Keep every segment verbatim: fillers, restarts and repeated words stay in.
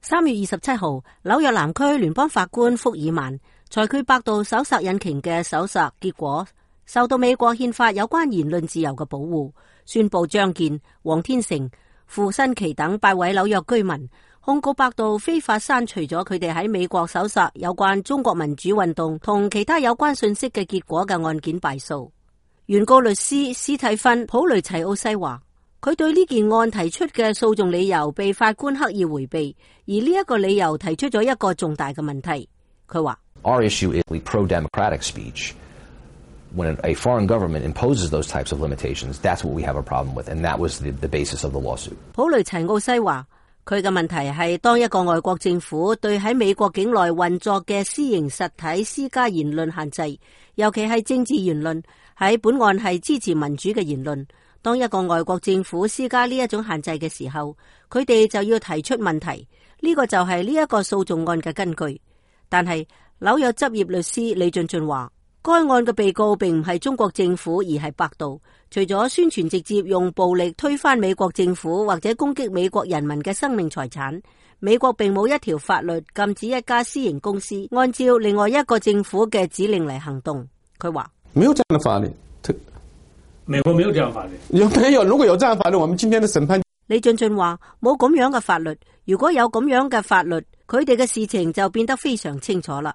三月二十七號，紐約南區聯邦法官福爾曼裁決百度搜索引擎嘅搜索結果受到美國憲法有關言論自由嘅保護，宣布張健、黃天成、傅新奇等八位紐約居民控告百度非法刪除咗佢哋喺美國搜索有關中國民主運動同其他有關信息嘅結果嘅案件敗訴。原告律師史蒂芬·普雷齊奧西話，佢對呢件案提出嘅訴訟理由被法官刻意回避，而呢一個理由提出咗一個重大嘅問題。佢話 Our issue is pro-democratic speech. When a foreign government imposes those types of limitations, that's what we have a problem with, and that was the, the basis of the lawsuit. 普雷齊奧西話，佢嘅問題係當一個外國政府對喺美國境內運作嘅私營實體施加言論限制，尤其係政治言論，喺本案係支持民主嘅言論。當一個外國政府施加呢一種限制嘅時候，佢哋就要提出問題，呢個就係呢一個訴訟案嘅根據。但係紐約執業律師李俊俊話，該案嘅被告並唔係中國政府，而係百度。除咗宣傳直接用暴力推翻美國政府或者攻擊美國人民嘅生命財產，美國並冇一條法律禁止一家私營公司按照另外一個政府嘅指令嚟行動。佢話沒有這樣的法律，美國沒有這樣法律。有沒有？如果有這樣法律，我們今天的審判。李俊俊話冇咁樣嘅法律，如果有咁樣嘅法律，佢哋嘅事情就變得非常清楚啦。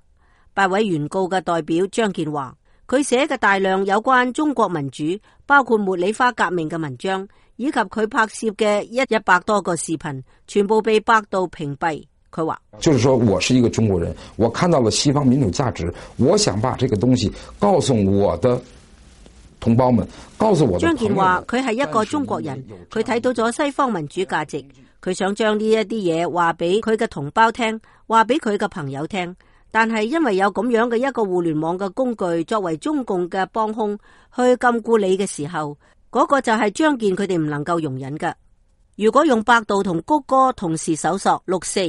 八位原告嘅代表張健話，佢寫嘅大量有關中國民主，包括茉莉花革命嘅文章，以及佢拍攝嘅一一百多個視頻，全部被百度屏蔽。佢話，就是說我是一個中國人，我看到了西方民主價值，我想把這個東西告訴我的同胞們，告訴我的。張健話佢係一個中國人，佢睇到咗西方民主價值，佢想將呢一啲嘢話俾佢嘅同胞聽，話俾佢嘅朋友聽。但係因為有咁樣嘅一個互聯網嘅工具作為中共嘅幫兇去禁錮你嘅時候，嗰個就係張健佢哋唔能夠容忍嘅。如果用百度同谷歌同時搜索六四，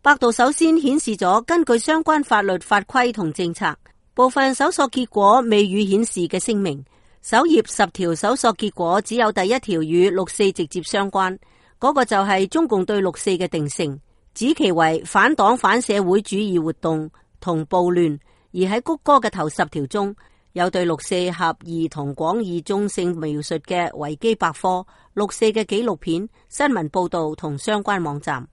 百度首先顯示咗根據相關法律法規同政策，部分搜索結果未予顯示嘅聲明。首頁十條搜索結果只有第一條與六四直接相關，嗰個就係中共對六四嘅定性，指其為反黨反社會主義活動同暴亂。而喺谷歌嘅頭十條中，有對六四狹義同廣義中性描述嘅維基百科、六四嘅紀錄片、新聞報道同相關網站。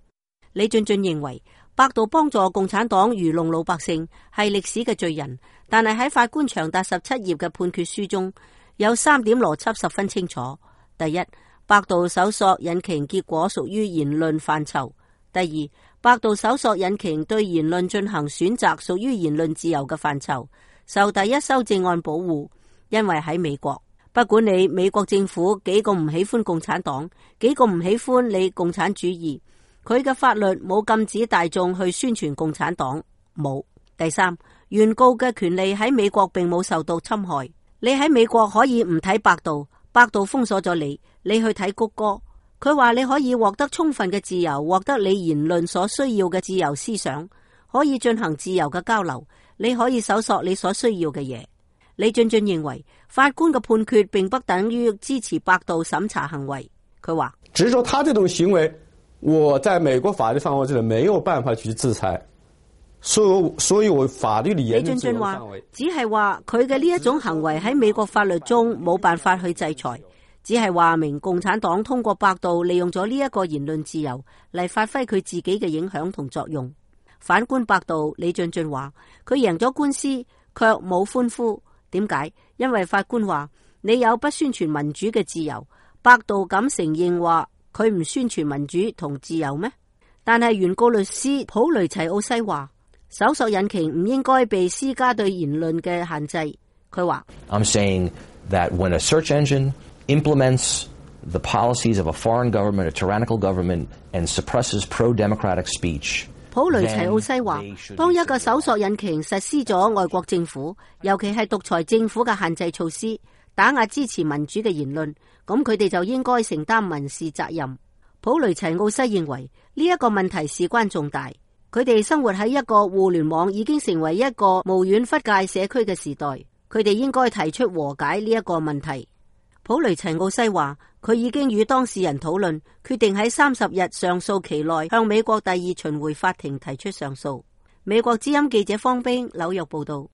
李俊俊認為百度幫助共產黨愚弄老百姓係歷史嘅罪人，但係喺法官長達十七頁嘅判決書中有三點邏輯十分清楚。第一，百度搜索引擎結果屬於言論範疇。第二，百度搜索引擎對言論進行選擇屬於言論自由嘅範疇，受第一修正案保護。因為喺美國，不管你美國政府幾個唔喜歡共產黨，幾個唔喜歡你共產主義，佢嘅法律冇禁止大眾去宣傳共產黨，冇。第三，原告嘅權利喺美國並冇受到侵害。你喺美國可以唔睇百度，百度封鎖咗你，你去睇谷歌。佢話你可以獲得充分嘅自由，獲得你言論所需要嘅自由思想，可以進行自由嘅交流，你可以搜索你所需要嘅嘢。李俊俊認為法官嘅判決並不等於支持百度審查行為。佢話只是說他這種行為，我在美國法律範圍之內沒有辦法去制裁，所以所以我法律的言論自由範圍只係話佢嘅呢一種行為喺美國法律中冇辦法去制裁。只係話明共產黨通過百度利用咗呢一個言論自由嚟發揮佢自己嘅影響同作用。反觀百度，李俊俊話佢贏咗官司卻冇歡呼。點解？因為法官話你有不宣傳民主嘅自由，百度敢承認話佢唔宣傳民主同自由咩？但係原告律師普雷齊奧西話搜索引擎唔應該被施加對言論嘅限制。佢話 I'm saying that when a search engine implements the policies of a foreign government, a tyrannical government, and suppresses pro-democratic speech. 普雷齊奧西話，當一個搜索引擎實施咗外國政府，尤其係獨裁政府嘅限制措施，打壓支持民主嘅言論，咁佢哋就應該承擔民事責任。普雷齊奧西認為呢一個問題事關重大，佢哋生活喺一個互聯網已經成為一個無遠弗屆社區嘅時代，佢哋應該提出和解呢一個問題。普雷齊奧西話，佢已經與當事人討論，決定喺三十日上訴期內向美國第二巡迴法庭提出上訴。美國之音記者方冰紐約報道。